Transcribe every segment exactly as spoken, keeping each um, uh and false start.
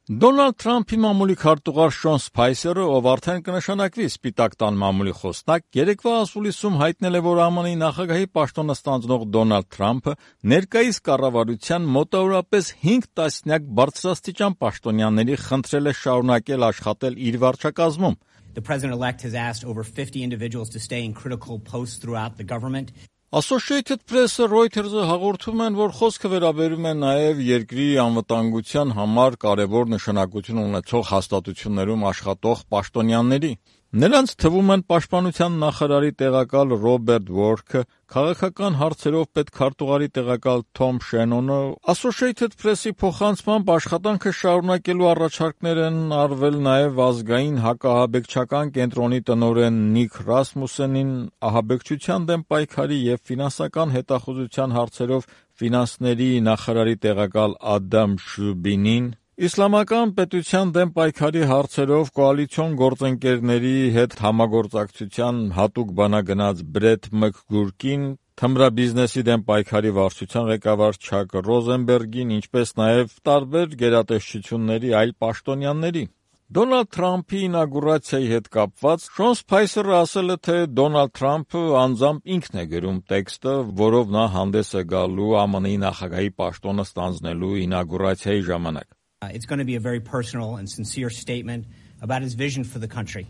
Դոնալդ Թրամփի մամուլի քարտուղար Շոն Սփայսերը, ով արդեն կնշանակվի Սպիտակ տան մամուլի խոսնակ, երեկվա ասուլիսում հայտնել է, որ ԱՄՆ-ի նախագահի պաշտոնը ստանձնող Դոնալդ Թրամփը ներկայիս կառավարության մոտավորապես հինգ տասնյակ բարձրաստիճան պաշտոնյաների խնդրել է շարունակել աշխատել իր վարչակազմում. The president-elect has asked over fifty individuals to stay in critical posts throughout the government. Associated Press-ը, Reuters-ը հաղորդում են, որ խոսքը վերաբերում է նաև երկրի անվտանգության համար կարևոր նշանակություն ունեցող հաստատություններում աշխատող պաշտոնյաների։ Նրանց թվում են պաշտպանության նախարարի տեղակալ Ռոբերտ Վորքը, քաղաքական հարցերով պետքարտուղարի տեղակալ Թոմ Շենոնը, Associated Press-ի փոխանցմամբ աշխատանքը շարունակելու առաջարկներ են արվել նաև ազգային հակաահաբեկչական կենտրոնի տնօրեն Նիկ Ռասմուսենին, ահաբեկչության դեմ պայքարի և ֆինանսական հետախուզության հարցերով ֆինանսների նախարարի տեղակալ Ադամ Շուբինին, Իսլամական պետության դեմ պայքարի հարցերով կոալիցիոն գործընկերների հետ համագործակցության հատուկ բանագնաց Բրեթ Մքգուրքին, թմրաբիզնեսի դեմ պայքարի վարչության ղեկավար Չակ Ռոզենբերգին, ինչպես նաև տարբեր գերատեսչությունների այլ պաշտոնյաների։ Դոնալդ Թրամփի ինագուրացիայի հետ կապված Շոն Սփայսերը ասել է, թե Դոնալդ Թրամփը անձամբ ինքն է գրում տեքստը, որով նա հանդես է գալու ԱՄՆ-ի նախագահի պաշտոնը ստանձնելու ինագուրացիայի ժամանակ. It's going to be a very personal and sincere statement about his vision for the country.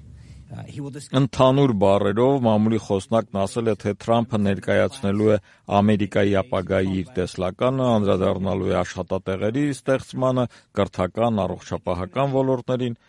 Uh, he will discuss... Ընդհանուր բառերով մամուլի խոսնակն ասել է, թե Թրամփը ներկայացնելու է Ամերիկայի ապագայի իր տեսլականը, անդրադառնալու է աշխատատեղերի ստեղծմանը, կրթական, առողջապահական ոլորտներին,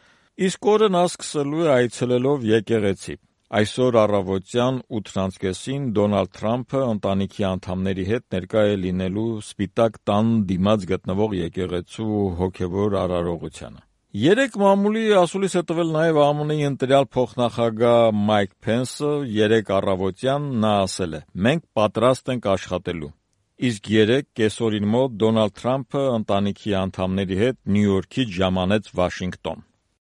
իսկ օրը նա սկսելու է այցելելով եկեղեցի։ Այսօր առավոտյան ութ անց կեսին Դոնալդ Թրամփը ընտանիքի անդամների հետ ներկա է լինելու Սպիտակ տան դիմաց գտնվող եկեղեցու հոգևոր արարողությանը։ Երեք մամուլի ասուլիս է տվել նաև ԱՄՆ-ի ընտրյալ փոխնախագահ Մայք Փենսը, երեք առավոտյան նա ասել է. «Մենք պատրաստ ենք աշխատելու»։ Իսկ երեք կեսօրին մոտ Դոնալդ Թրամփը ընտանիքի անդամների հետ Նյու Յորքից ժամանեց Վաշինգտոն։